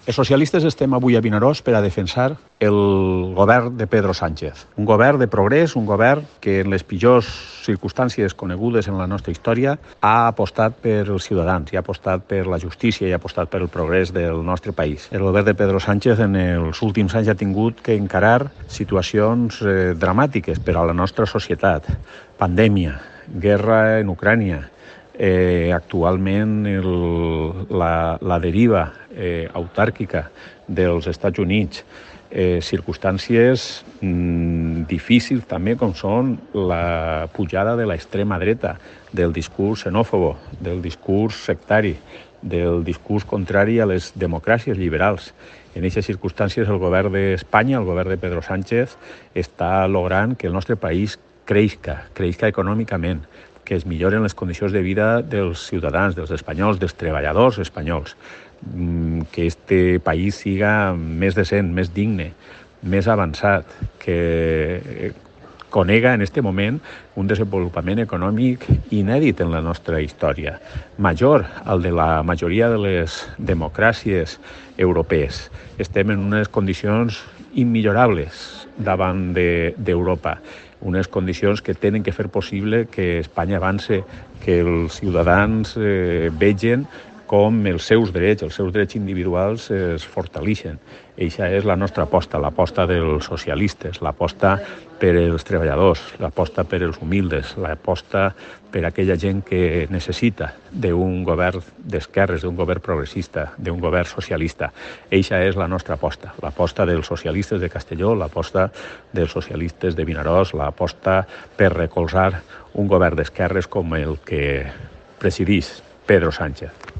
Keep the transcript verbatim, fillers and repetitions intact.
Els socialistes estem avui a Vinaròs per a defensar el govern de Pedro Sánchez. Un govern de progrés, un govern que en les pitjors circumstàncies conegudes en la nostra història ha apostat per els ciutadans, i ha apostat per la justícia i ha apostat per el progrés del nostre país. El govern de Pedro Sánchez en els últims anys ha tingut que encarar situacions eh, dramàtiques per a la nostra societat. Pandèmia, guerra en Ucrània, Eh, actualment el, la, la deriva eh, autàrquica dels Estats Units, eh, circumstàncies mm, difícils també com són la pujada de l'extrema dreta, del discurs xenòfobo, del discurs sectari, del discurs contrari a les democràcies liberals. En aquestes circumstàncies el govern d'Espanya, el govern de Pedro Sánchez, està logrant que el nostre país creixca, creixca econòmicament, que es milloren les condicions de vida dels ciutadans, dels espanyols, dels treballadors espanyols, que este país siga més decent, més digne, més avançat, que conega en aquest moment un desenvolupament econòmic inèdit en la nostra història, major al de la majoria de les democràcies europees. Estem en unes condicions immillorables davant d'Europa, unes condicions que tenen que fer possible que Espanya avance, que els ciutadans eh, vegen com els seus drets, els seus drets individuals es fortaleixen. Eixa és la nostra aposta, l'aposta dels socialistes, l'aposta per als treballadors, l'aposta per als humildes, l'aposta per a aquella gent que necessita d'un govern d'esquerres, d'un govern progressista, d'un govern socialista. Eixa és la nostra aposta, l'aposta dels socialistes de Castelló, l'aposta dels socialistes de Vinaròs, l'aposta per recolzar un govern d'esquerres com el que presideix Pedro Sánchez.